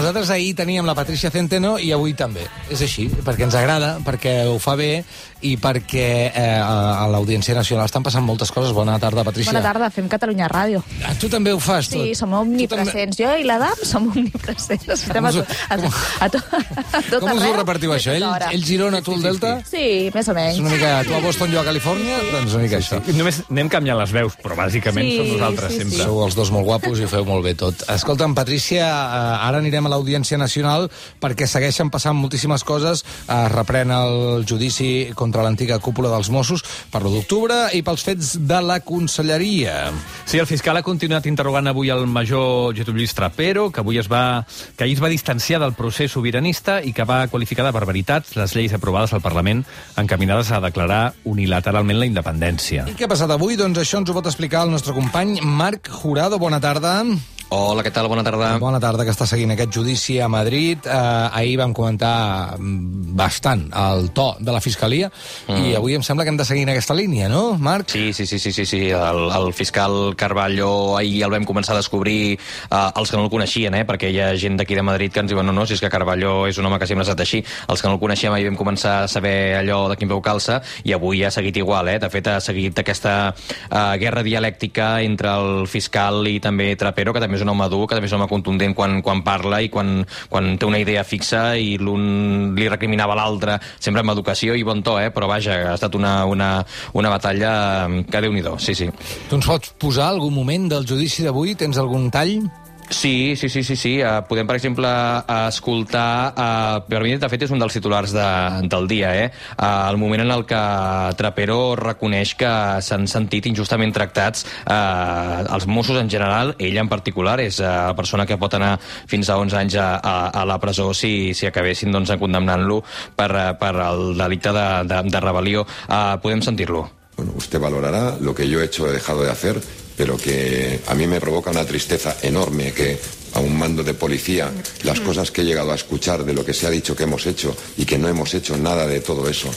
nosaltres ahir teníem la Patricia Centeno i avui també. És així, perquè ens agrada, perquè ho fa bé i perquè a l'Audiència Nacional estan passant moltes coses. Bona tarda, Patricia. Bona tarda, fem Catalunya Ràdio. Tu també ho fas, tot? Sí, som omnipresents. Jo i l'Adam som omnipresents. Estem a tot arreu. Com us ho repartiu, això? Ell Girona, tu el Delta? Sí, més o menys. És una mica tu a Boston, jo a Califòrnia? Doncs una mica això. Només anem canviant les veus, però bàsicament som nosaltres sempre. Sou els dos molt guapos i ho feu molt bé tot. Escolta'm, Patricia, ara anirem a l'Audiència Nacional perquè segueixen passant moltíssimes coses. Es reprèn el judici contra l'antiga cúpula dels Mossos per l'1 d'octubre i pels fets de la Conselleria. Sí, el fiscal ha continuat interrogant avui el major Getúlio Lluís Trapero, que ahir es va distanciar del procés sobiranista i que va qualificar de barbaritats les lleis aprovades al Parlament encaminades a declarar unilateralment la independència. I què ha passat avui? Doncs això ens ho pot explicar el nostre company Marc Jurado. Bona tarda. Hola, què tal? Bona tarda. Bona tarda, que està seguint aquest judici a Madrid. Ahir vam comentar bastant el to de la Fiscalia i avui em sembla que hem de seguir en aquesta línia, no, Marc? Sí. El fiscal Carballo ahir el vam començar a descobrir els que no el coneixien, perquè hi ha gent d'aquí de Madrid que ens diuen no, si és que Carballo és un home que sempre ha estat així. Els que no el coneixem ahir vam començar a saber allò de quin peu calça i avui ha seguit igual, De fet, ha seguit aquesta guerra dialèctica entre el fiscal i també Trapero, que també és un home dur, que també és un home contundent quan parla i quan té una idea fixa i l'un li recriminava a l'altre sempre amb educació i bon to, però vaja, ha estat una batalla que Déu-n'hi-do, sí. Tu ens pots posar algun moment del judici d'avui? Tens algun tall? Sí. Podem, per exemple, escoltar... Per mi, de fet, és un dels titulars del dia, el moment en el que Trapero reconeix que s'han sentit injustament tractats els Mossos en general, ell en particular, és la persona que pot anar fins a 11 anys a la presó si acabessin condemnant-lo per el delicte de rebel·lió. Podem sentir-lo. Bueno, usted valorará lo que yo he hecho o he dejado de hacer, pero que a mí me provoca una tristeza enorme que a un mando de policía las cosas que he llegado a escuchar de lo que se ha dicho que hemos hecho y que no hemos hecho nada de todo eso,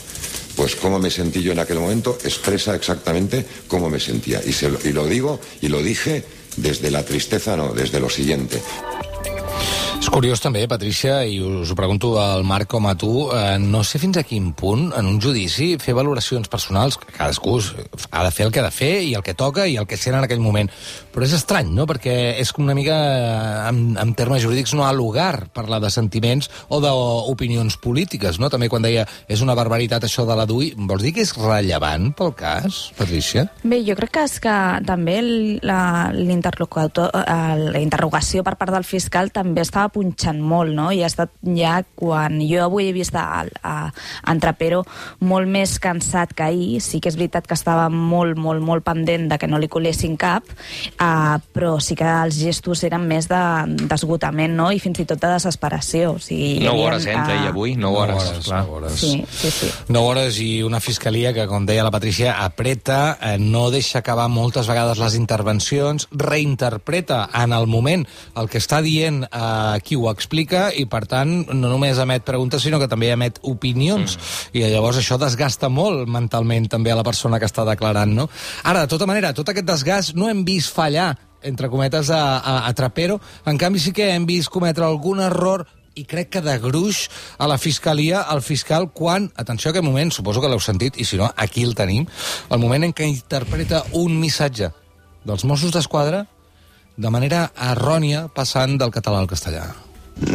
pues cómo me sentí yo en aquel momento expresa exactamente cómo me sentía. Y lo digo y lo dije desde la tristeza, no, desde lo siguiente. És curiós també, Patricia, i us ho pregunto al Marc com a tu, no sé fins a quin punt en un judici fer valoracions personals, que cadascú ha de fer el que ha de fer i el que toca i el que sent en aquell moment, però és estrany, no?, perquè és una mica, en termes jurídics, no ha lugar parlar de sentiments o d'opinions polítiques, no? També quan deia és una barbaritat això de la DUI, vols dir que és rellevant pel cas, Patricia? Bé, jo crec que és que també la interrogació per part del fiscal també estava punxant molt, no? I ha estat ja quan jo avui he vist en Trapero molt més cansat que ahir. Sí que és veritat que estava molt pendent de que no li colessin cap, però sí que els gestos eren més d'esgotament, no? I fins i tot de desesperació. O sigui, 9 hores entre i avui, 9 hores. 9 hores. Sí. 9 hores i una fiscalia que, com deia la Patricia, apreta, no deixa acabar moltes vegades les intervencions, reinterpreta en el moment el que està dient qui ho explica i, per tant, no només emet preguntes, sinó que també emet opinions. I llavors això desgasta molt mentalment també a la persona que està declarant, no? Ara, de tota manera, tot aquest desgast no hem vist fallar, entre cometes, a Trapero. En canvi, sí que hem vist cometre algun error i crec que de gruix a la fiscalia, al fiscal, quan, atenció a aquest moment, suposo que l'heu sentit, i si no, aquí el tenim, el moment en què interpreta un missatge dels Mossos d'Esquadra de manera errònia, passant del català al castellà.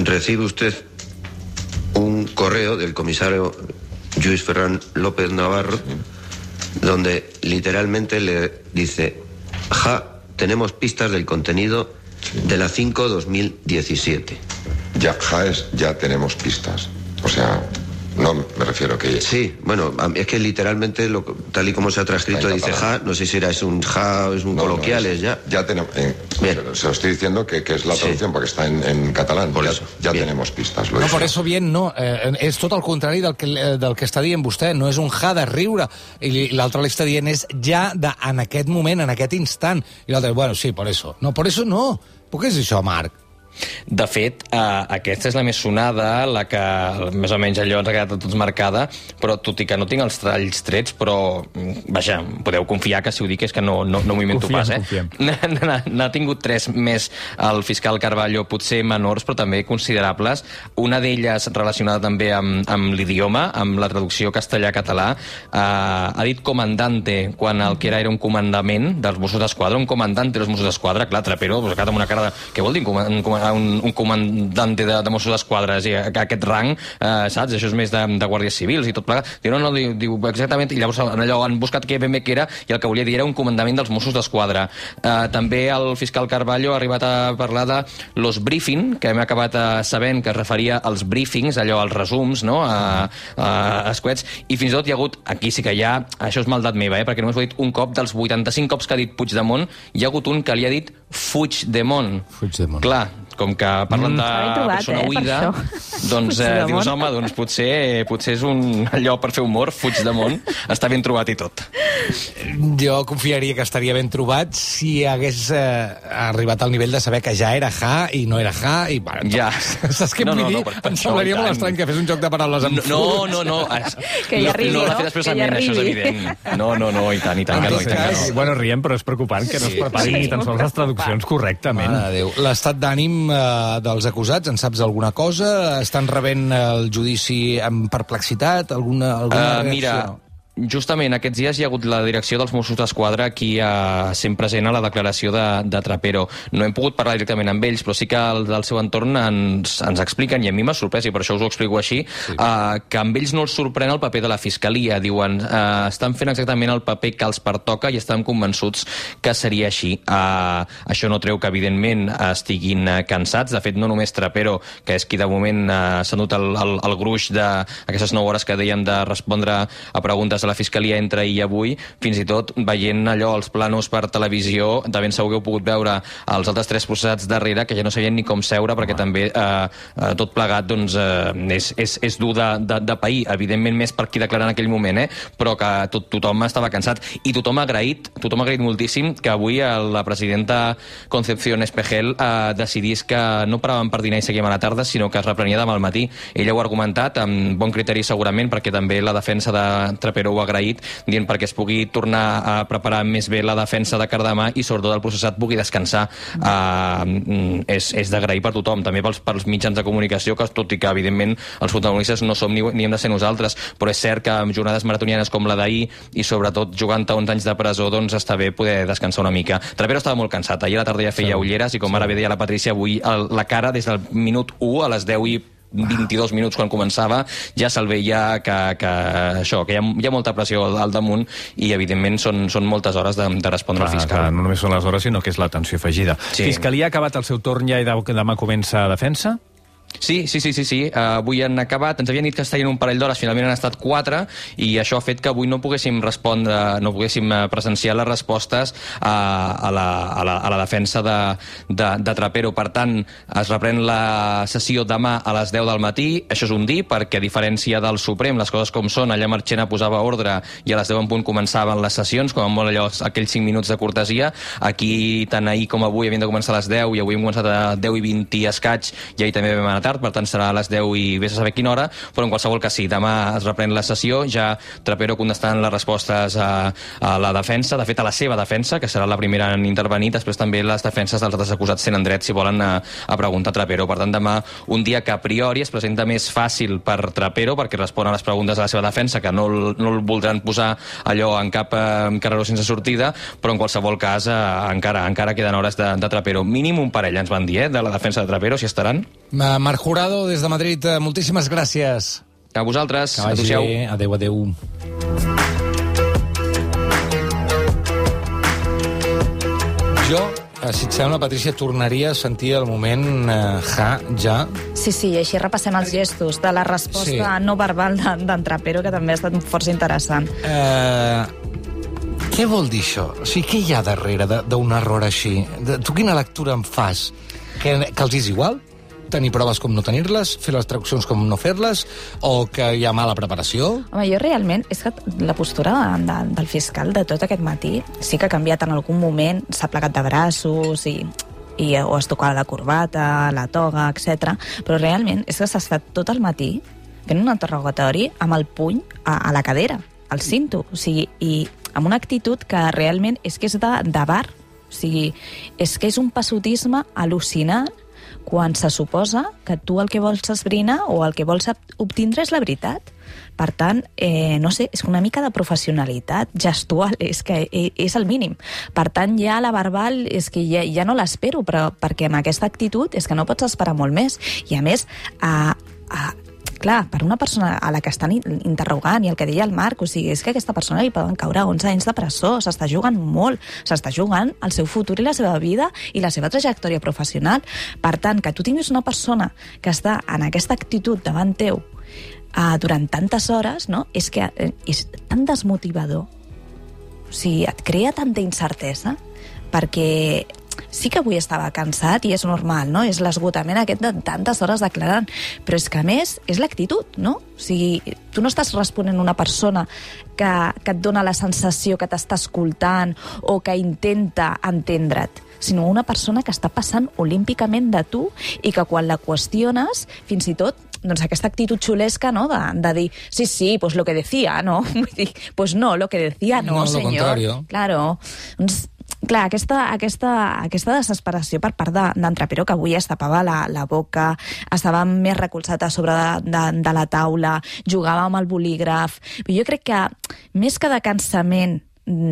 Recibe usted un correo del comisario Lluís Ferran López Navarro, donde literalmente le dice: tenemos pistas del contenido de la 5-2017. Ya tenemos pistas. O sea, no me refiero que... Sí, bueno, es que literalmente, tal y como se ha transcrito, dice no sé si es un coloquial, Ya tenemos... Bien. Se lo estoy diciendo que es la traducción, porque está en catalán. Por eso. Ya tenemos pistas. No, por eso bien, no. És tot el contrari del que està dient vostè. No és un de riure. I l'altre li està dient és en aquest moment, en aquest instant. I l'altre, bueno, sí, por eso. No, por eso no. Per què és això, Marc? De fet, aquesta és la més sonada, la que més o menys allò ens ha quedat a tots marcada, però tot i que no tinc els talls trets, però, vaja, podeu confiar que si ho dic és que no m'ho invento pas, N'ha tingut 3 més el fiscal Carballo, potser menors, però també considerables. Una d'elles relacionada també amb l'idioma, amb la traducció castellà-català. Ha dit comandante quan el que era un comandament dels Mossos d'Esquadra, un comandante dels Mossos d'Esquadra. Clar, Trapero, pues, amb una cara de... Què vol dir un comandante de Mossos d'Esquadra? Aquest rang, saps? Això és més de guàrdies civils i tot plegat. Diu, no, diu exactament, i llavors allò han buscat què ben bé que era, i el que volia dir era un comandament dels Mossos d'Esquadra. També el fiscal Carballo ha arribat a parlar de los briefing, que hem acabat sabent que es referia als briefings, allò, als resums, no?, escuets, i fins i tot hi ha hagut, aquí sí que hi ha, això és maldat meva, perquè només ho he dit un cop, dels 85 cops que ha dit Puigdemont, hi ha hagut un que li ha dit Fuigdemont. Clar, com que parlen de persona oïda, doncs dius, home, doncs potser és allò per fer humor, Puigdemont, està ben trobat i tot. Jo confiaria que estaria ben trobat si hagués arribat al nivell de saber que ja era ja i no era ja, i bueno, ja. Saps què vull dir? Em semblaria molt estrany que fes un joc de paraules amb No. Que ja arribi, no l'ha fet expressament, això és evident. No, i tant que no. Bueno, riem, però és preocupant que no es preparin ni tan sols les traduccions correctament. L'estat d'ànim dels acusats, en saps alguna cosa? Estan rebent el judici amb perplexitat? Alguna reacció? Mira, justament aquests dies hi ha hagut la direcció dels Mossos d'Esquadra aquí sent present a la declaració de Trapero. No hem pogut parlar directament amb ells, però sí que del seu entorn ens expliquen, i a mi m'ha sorprès, i per això us ho explico així, que amb ells no els sorprèn el paper de la Fiscalia. Diuen, estan fent exactament el paper que els pertoca i estan convençuts que seria així. Això no treu que, evidentment, estiguin cansats. De fet, no només Trapero, que és qui de moment s'ha dut el gruix d'aquestes 9 hores que dèiem de respondre a preguntes la Fiscalia entre ahir i avui, fins i tot veient allò, els planos per televisió, de ben segur que heu pogut veure els altres 3 processats darrere, que ja no sabien ni com seure, perquè també tot plegat doncs, és dur de pair, evidentment més per qui declara en aquell moment, però que tothom estava cansat, i tothom ha agraït moltíssim que avui la presidenta Concepción Espejel decidís que no paràvem per dinar i seguíem a la tarda, sinó que es reprenia demà al matí. Ella ho ha argumentat amb bon criteri segurament, perquè també la defensa de Trapero ho ha agraït, dient perquè es pugui tornar a preparar més bé la defensa de Cardamà i sobretot el processat pugui descansar. És d'agrair per tothom, també pels mitjans de comunicació, que tot i que evidentment els protagonistes no som ni hem de ser nosaltres, però és cert que amb jornades maratonianes com la d'ahir i sobretot jugant a 11 anys de presó, doncs està bé poder descansar una mica. Trapero estava molt cansat, ahir a la tarda ja feia ulleres i com ara bé deia la Patrícia, avui la cara des del minut 1 a les 10 i 22 minuts quan començava, ja se'l veia que hi ha molta pressió al damunt i evidentment són moltes hores de respondre al fiscal. No només són les hores, sinó que és l'atenció afegida. Fiscalia ha acabat el seu torn ja i demà comença defensa? Sí. Avui han acabat. Ens havien dit que estarien un parell d'hores, finalment han estat 4, i això ha fet que avui no poguéssim presenciar les respostes a la defensa de Trapero. Per tant, es reprèn la sessió demà a les 10 del matí. Això és un dir, perquè a diferència del Suprem, les coses com són, allà Marchena posava ordre i a les 10 en punt començaven les sessions, com a molt allò, aquells 5 minuts de cortesia. Aquí, tant ahir com avui, havien de començar a les 10 i avui hem començat a 10 i 20 i escaig, i ahir també vam anar tard, per tant serà a les 10 i vés a saber quina hora, però en qualsevol cas sí, demà es reprèn la sessió, ja Trapero contestant les respostes a la defensa, de fet a la seva defensa, que serà la primera en intervenir, després també les defenses dels altres acusats tenen dret, si volen, a preguntar a Trapero. Per tant, demà un dia que a priori es presenta més fàcil per Trapero, perquè respon a les preguntes de la seva defensa, que no el voldran posar allò en cap carreró sense sortida, però en qualsevol cas encara queden hores de Trapero. Mínim un parell, ens van dir, de la defensa de Trapero, si estaran. Marc Jurado, des de Madrid, moltíssimes gràcies. A vosaltres. Adéu. Jo, si et sembla, Patrícia, tornaria a sentir el moment ja. Sí, i així repassem els gestos de la resposta no verbal d'en Trapero, que també ha estat força interessant. Què vol dir això? O sigui, què hi ha darrere d'un error així? Tu quina lectura en fas? Que els és igual? Tenir proves com no tenir-les, fer les traduccions com no fer-les, o que hi ha mala preparació? Home, jo realment, és que la postura del fiscal de tot aquest matí sí que ha canviat en algun moment, s'ha plegat de braços i o es tocava la corbata, la toga, etc. Però realment és que s'ha estat tot el matí fent un interrogatori amb el puny a la cadera, al cinto, o sigui, i amb una actitud que realment és que és de bar, o sigui, és que és un passotisme al·lucinant quan se suposa que tu el que vols esbrinar o el que vols obtindre és la veritat. Per tant, no sé, és una mica de professionalitat gestual, és que és el mínim. Per tant, ja la verbal és que ja no l'espero, però perquè amb aquesta actitud és que no pots esperar molt més. I a més, clar, per una persona a la que estan interrogant, i el que deia el Marc, o sigui, és que a aquesta persona li poden caure 11 anys de presó, s'està jugant molt, s'està jugant el seu futur i la seva vida i la seva trajectòria professional. Per tant, que tu tinguis una persona que està en aquesta actitud davant teu durant tantes hores, no? És que és tan desmotivador. O sigui, et crea tanta incertesa, perquè sí que avui estava cansat i és normal, no? És l'esgotament aquest de tantes hores declarant, però és que a més és l'actitud, no? O sigui, tu no estàs responent a una persona que et dona la sensació que t'està escoltant o que intenta entendre't, sinó una persona que està passant olímpicament de tu i que quan la qüestiones, fins i tot, doncs aquesta actitud xulesca, no?, de dir, sí, pues lo que decía, no? Vull dir, pues no, lo que decía no, senyor. No, lo contrario. Claro. Doncs, clar, aquesta desesperació per part d'en Trapero, que avui es tapava la boca, estava més recolzat a sobre de la taula, jugava amb el bolígraf. Jo crec que més que de cansament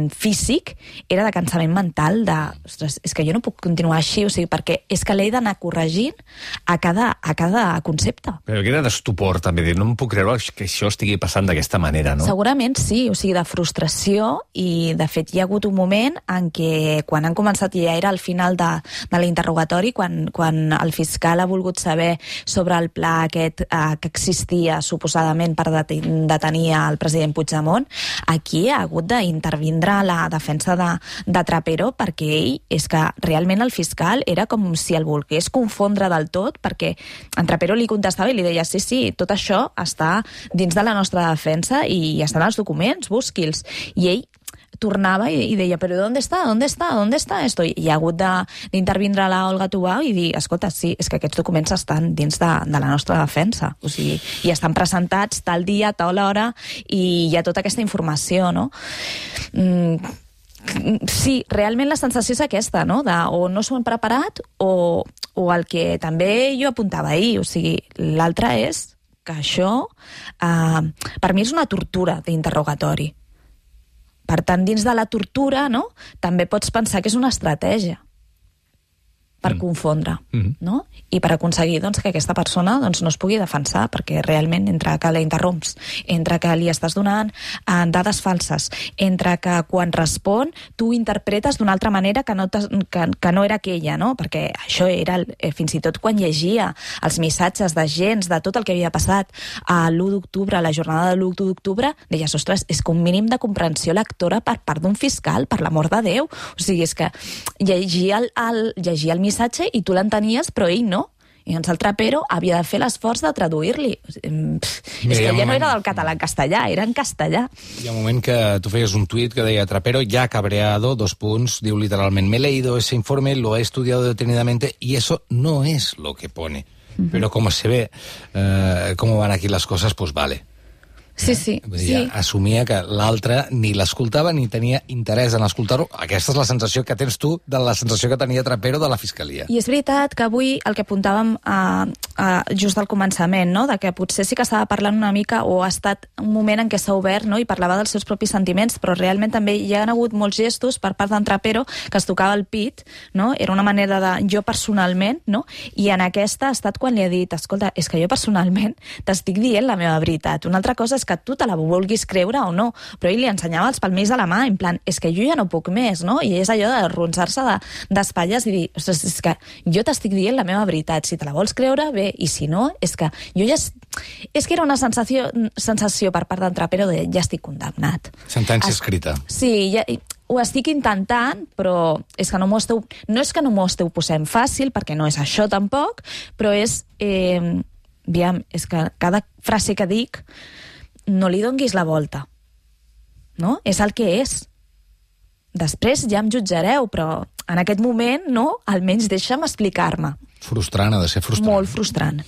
físic, era de cansament mental, ostres, és que jo no puc continuar així, o sigui, perquè és que l'he d'anar corregint a cada concepte. Però que era d'estupor, també, no em puc creure que això estigui passant d'aquesta manera, no? Segurament sí, o sigui, de frustració, i de fet hi ha hagut un moment en què, quan han començat, ja era al final de l'interrogatori, quan el fiscal ha volgut saber sobre el pla aquest que existia suposadament per detenir el president Puigdemont, aquí ha hagut d'intervindre la defensa de Trapero, perquè ell, és que realment el fiscal era com si el volgués confondre del tot, perquè en Trapero li contestava i li deia, sí, tot això està dins de la nostra defensa i estan els documents, busqui'ls. I ell tornava i deia, però ¿dónde está esto? I ha hagut d'intervindre la Olga Tubau i dir, escolta, sí, és que aquests documents estan dins de la nostra defensa, o sigui, i estan presentats tal dia, tal hora, i hi ha tota aquesta informació, no? Sí, realment la sensació és aquesta, no?, o no s'ho han preparat o el que també jo apuntava ahir, o sigui, l'altre és que això, per mi és una tortura d'interrogatori. Per tant, dins de la tortura, no?, també pots pensar que és una estratègia per confondre, no? I per aconseguir, doncs, que aquesta persona, doncs, no es pugui defensar, perquè realment entre que la interromps, entre que li estàs donant dades falses, entre que quan respon tu interpretes d'una altra manera que no era aquella, no? Perquè això era, fins i tot quan llegia els missatges d'agents de tot el que havia passat a l'1 d'octubre, a la jornada de l'1 d'octubre, deies, ostres, és que un mínim de comprensió lectora per part d'un fiscal, per l'amor de Déu. O sigui, és que llegia el missatge i tu l'entenies, però ell no. I doncs el Trapero havia de fer l'esforç de traduir-li. És que ja no era del català en castellà, era en castellà. Hi ha un moment que tu feies un tuit que deia Trapero ya cabreado, diu literalment, me he leído ese informe, lo he estudiado detenidamente y eso no es lo que pone. Pero como se ve cómo van aquí las cosas, pues vale. Sí. Assumia que l'altre ni l'escoltava ni tenia interès en escoltar-ho. Aquesta és la sensació que tens tu de la sensació que tenia Trapero de la Fiscalia. I és veritat que avui el que apuntàvem just al començament, no?, de que potser sí que estava parlant una mica, o ha estat un moment en què s'ha obert, no?, i parlava dels seus propis sentiments, però realment també hi ha hagut molts gestos per part d'en Trapero que es tocava el pit, no?, era una manera de jo personalment, no?, i en aquesta ha estat quan li ha dit, escolta, és que jo personalment t'estic dient la meva veritat. Una altra cosa és que tu te la vulguis creure o no, però ell li ensenyava els palmells a la mà, en plan, és que jo ja no puc més, no? I és allò de ronsar-se d'espatlles i dir, ostres, és que jo t'estic dient la meva veritat, si te la vols creure, bé, i si no, és que jo ja... És que era una sensació per part d'en Trapero de ja estic condemnat. Sentència escrita. Sí, ja... Ho estic intentant, però és que no és que no m'ho esteu posant fàcil, perquè no és això tampoc, però és... Aviam, és que cada frase que dic no li donguis la volta, no? És el que és. després ja em jutjareu, però en aquest moment, no, almenys deixa'm explicar-me. Frustrant, ha de ser frustrant. Molt frustrant.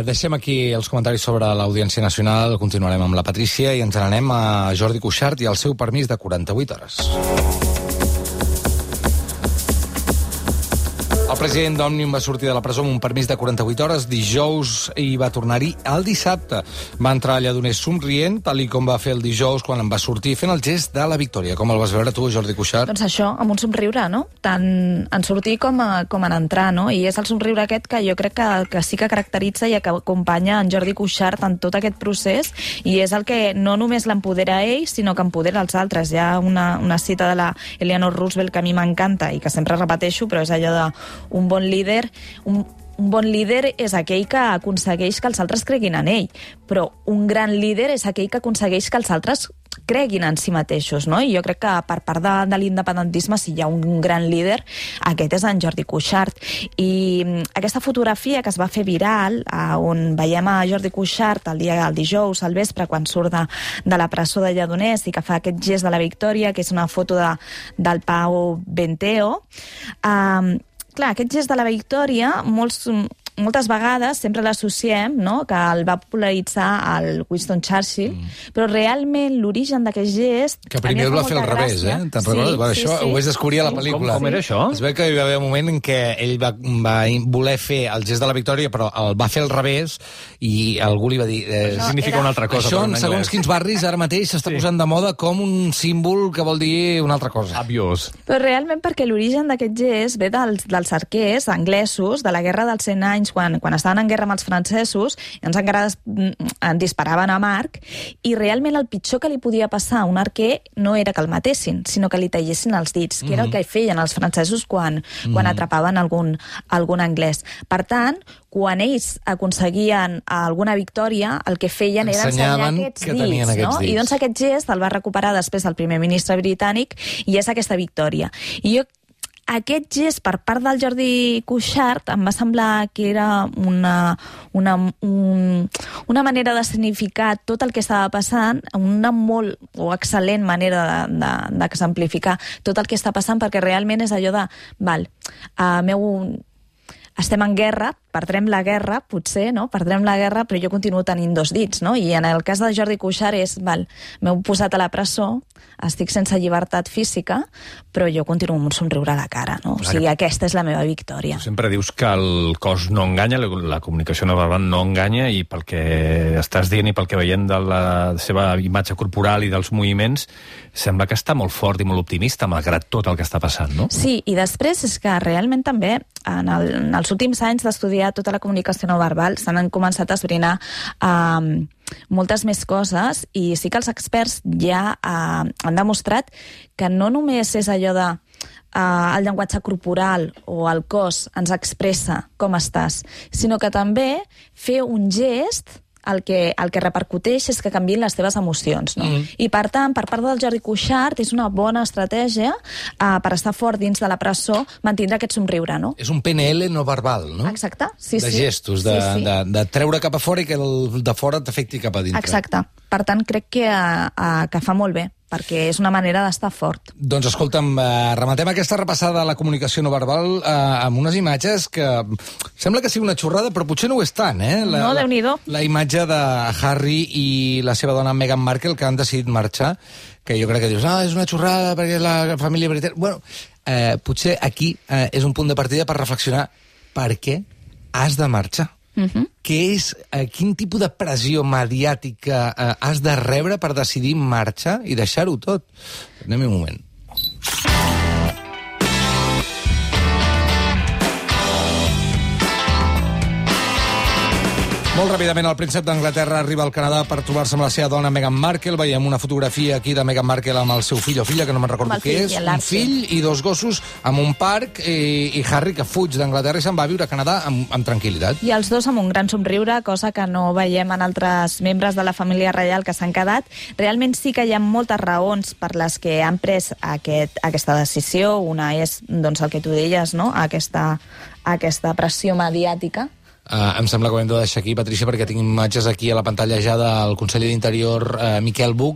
Deixem aquí els comentaris sobre l'Audiència Nacional, continuarem amb la Patrícia i ens n'anem a Jordi Cuixart i el seu permís de 48 hores. El president d'Òmnium va sortir de la presó amb un permís de 48 hores dijous i va tornar-hi el dissabte. Va entrar a Lledoners somrient, tal i com va fer el dijous quan en va sortir, fent el gest de la victòria. Com el vas veure tu, Jordi Cuixart? Doncs això, amb un somriure, no? Tant en sortir com en entrar, no? I és el somriure aquest que jo crec que sí que caracteritza i que acompanya en Jordi Cuixart en tot aquest procés, i és el que no només l'empodera a ell, sinó que empodera els altres. Hi ha una cita de la Eleanor Roosevelt que a mi m'encanta i que sempre repeteixo, però és allò de un bon líder... Un bon líder és aquell que aconsegueix que els altres creguin en ell, però un gran líder és aquell que aconsegueix que els altres creguin en si mateixos, no? I jo crec que per part de l'independentisme, si hi ha un gran líder, aquest és en Jordi Cuixart. I aquesta fotografia que es va fer viral, on veiem a Jordi Cuixart el dijous al vespre, quan surt de la presó de Lledoners i que fa aquest gest de la victòria, que és una foto del Pau Benteo, clar, aquest gest de la victòria, moltes vegades sempre l'associem, no?, que el va popularitzar el Winston Churchill, però realment l'origen d'aquest gest... Que primer el va fer al revés, Te'n recordes? Sí, això ho vaig descobrir a la pel·lícula. Com era això? Es veu que hi va haver un moment en què ell va voler fer el gest de la victòria, però el va fer al revés, i algú li va dir... Això significa una altra cosa. Això, en segons quins barris, ara mateix s'està posant de moda com un símbol que vol dir una altra cosa. Aviós. Però realment perquè l'origen d'aquest gest ve dels arquers anglesos de la Guerra dels 100 anys, quan estaven en guerra amb els francesos, i ens encara disparaven a Marc, i realment el pitjor que li podia passar a un arquer no era que el matessin, sinó que li tallessin els dits, que era el que feien els francesos quan atrapaven algun anglès. Per tant, quan ells aconseguien alguna victòria, el que feien era ensenyar aquests dits, no? I doncs aquest gest el va recuperar després el primer ministre britànic, i és aquesta victòria. I jo aquest gest per part del Jordi Cuixart em va semblar que era una manera de significar tot el que estava passant, una molt o excel·lent manera d'exemplificar tot el que està passant, perquè realment és allò de estem en guerra, perdrem la guerra, potser, no? Perdrem la guerra, però jo continuo tenint dos dits, no? I en el cas de Jordi Cuixart és, m'heu posat a la presó, estic sense llibertat física, però jo continuo amb un somriure a la cara, no? O sigui, aquesta és la meva victòria. Tu sempre dius que el cos no enganya, la comunicació no verbal no enganya, i pel que estàs dient i pel que veiem de la seva imatge corporal i dels moviments, sembla que està molt fort i molt optimista, malgrat tot el que està passant, no? Sí, i després és que realment també, en els últims anys d'estudiar tota la comunicació no verbal, s'han començat a esbrinar moltes més coses, i sí que els experts ja han demostrat que no només és allò de el llenguatge corporal o el cos ens expressa com estàs, sinó que també fer un gest el que repercuteix és que canviïn les teves emocions, no? I per tant, per part del Jordi Cuixart, és una bona estratègia per estar fort dins de la presó, mantindre aquest somriure, no? És un PNL no verbal, no? Exacte, sí. De gestos, de treure cap a fora i que el de fora t'afecti cap a dintre. Exacte. Per tant, crec que fa molt bé, perquè és una manera d'estar fort. Doncs escolta'm, rematem aquesta repassada de la comunicació no verbal amb unes imatges que sembla que sigui una xorrada, però potser no ho és tant, eh? No, Déu-n'hi-do. La imatge de Harry i la seva dona Meghan Markle, que han decidit marxar, que jo crec que dius, és una xorrada perquè és la família britànica. Bueno, potser aquí és un punt de partida per reflexionar per què has de marxar. Quin tipus de pressió mediàtica has de rebre per decidir marxar i deixar-ho tot? Anem un moment. Molt ràpidament, el príncep d'Anglaterra arriba al Canadà per trobar-se amb la seva dona Meghan Markle. Veiem una fotografia aquí de Meghan Markle amb el seu fill o filla, que no me'n recordo què és. Un fill i dos gossos en un parc, i Harry, que fuig d'Anglaterra i se'n va a viure a Canadà amb tranquil·litat. I els dos amb un gran somriure, cosa que no veiem en altres membres de la família reial que s'han quedat. Realment sí que hi ha moltes raons per les que han pres aquesta decisió. Una és, doncs, el que tu deies, no? Aquesta pressió mediàtica. Em sembla que ho hem de deixar aquí, Patrícia, perquè tinc imatges aquí a la pantalla ja del conseller d'Interior, Miquel Buch,